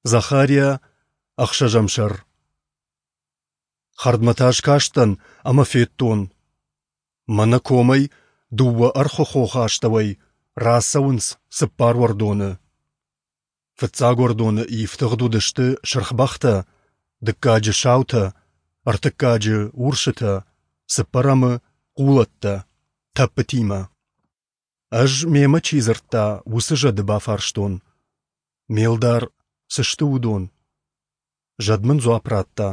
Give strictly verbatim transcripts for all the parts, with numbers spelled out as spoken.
Захария, ӕхсӕзӕм сӕр. Хӕрдмӕ та скастӕн ӕмӕ федтон, мӕнӕ комӕй, дыууӕ ӕрхуы хохы астӕуӕй, рацӕуынц цыппар уӕрдоны. Фыццаг уӕрдоны ифтыгъд уыдысты сырх бӕхтӕ, дыккаджы саутӕ, ӕртыккаджы урсытӕ, цыппӕрӕмы хъулӕттӕ, тӕппытимӕ. Ӕз, мемӕ чи дзырдта, уыцы зӕды бафарстон: «Ме лдар, цы сты уыдон?» Зӕд мын дзуапп радта: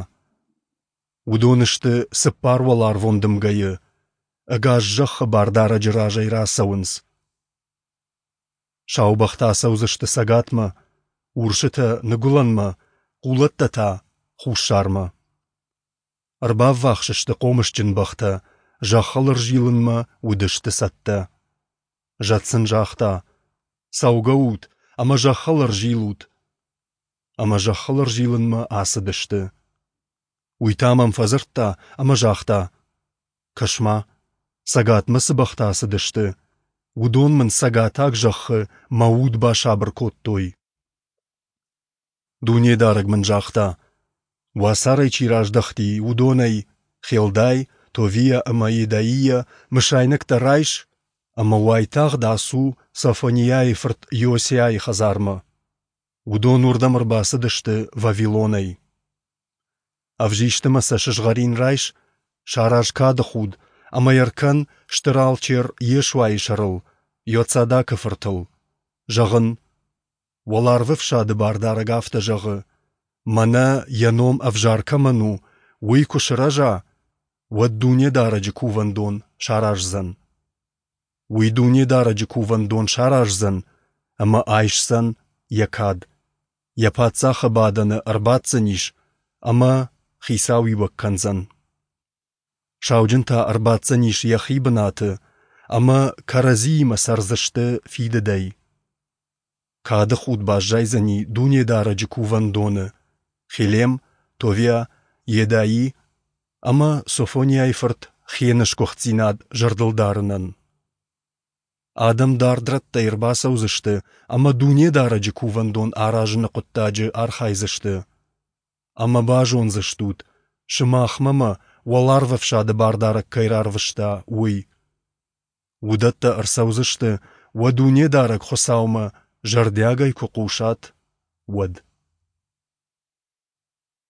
«Уыдон сты цыппар уӕларвон дымгӕйы, ӕгас зӕххы Бардарӕджы разӕй рацӕуынц. Сау бӕхтӕ ацӕудзысты цӕгатмӕ, урсытӕ ныгуылӕнмӕ, хъулӕттӕ та хуссармӕ. Ӕрбаввахс сты хъомысджын бӕхтӕ, зӕххыл ӕрзилынмӕ уыдысты цӕттӕ. Зӕд сын загъта: «Цӕугӕ ут ӕмӕ зӕххыл ӕрзилут!» Ӕмӕ зӕххыл ӕрзилынмӕ ацыдысты. Уый та мӕм фӕдзырдта ӕмӕ загъта: «Кӕс-ма, цӕгатмӕ цы бӕхтӕ ацыдысты, уыдон мын цӕгатаг зӕххы мӕ уд басабыр кодтой». Дунедарӕг мын загъта: «Уацарӕй чи раздӕхти, уыдонӕй Хелдай, Товиа ӕмӕ Йедаийӕ мысайнӕгтӕ райс ӕмӕ уайтагъд ацу Софониайы фырт Иосиайы хӕдзармӕ. Уыдон уырдӕм ӕрбацыдысты Вавилонӕй. Ӕвзист ӕмӕ сӕ сызгъӕрин райс, сараз кады худ ӕмӕ йӕ ркӕн стыр алчер Йешуайы сӕрыл, Иоцадакы фыртыл. Зӕгъ ын: Уӕларвӕфсады Бардарӕг афтӕ зӕгъы: Мӕнӕ йӕ ном ӕвзӕр кӕмӕн у, уый куы сырӕза, уӕд Дунедарӕджы кувӕндон сараздзӕн. Уый Дунедарӕджы кувӕндон сараздзӕн ӕмӕ айсдзӕн йӕ кад, йӕ паддзахы бадӕны ӕрбаддзӕнис ӕмӕ хицауиуӕг кӕндзӕн. Сауджын та ӕрбаддзӕнис йӕхи бынаты ӕмӕ кӕрӕдзиимӕ цӕрдзысты фидыдӕй. Кады худ баззайдзӕни Дунедарӕджы кувӕндоны Хелем, Товиа, Йедаи ӕмӕ Софониайы фырт Хены сгуыхтдзинад зӕрдылдарынӕн. Адӕм дард рӕттӕй ӕрбацӕудзысты ӕмӕ Дунедарӕджы кувӕндон аразыны хъуыддаджы архайдзысты. Ӕмӕ базондзыстут, сымахмӕ мӕ Уӕларвӕфсады Бардарӕг кӕй рарвыста, уый. Уыдӕттӕ ӕрцӕудзысты, уӕ Дунедарӕг Хуыцаумӕ зӕрдиагӕй куы хъусат, уӕд.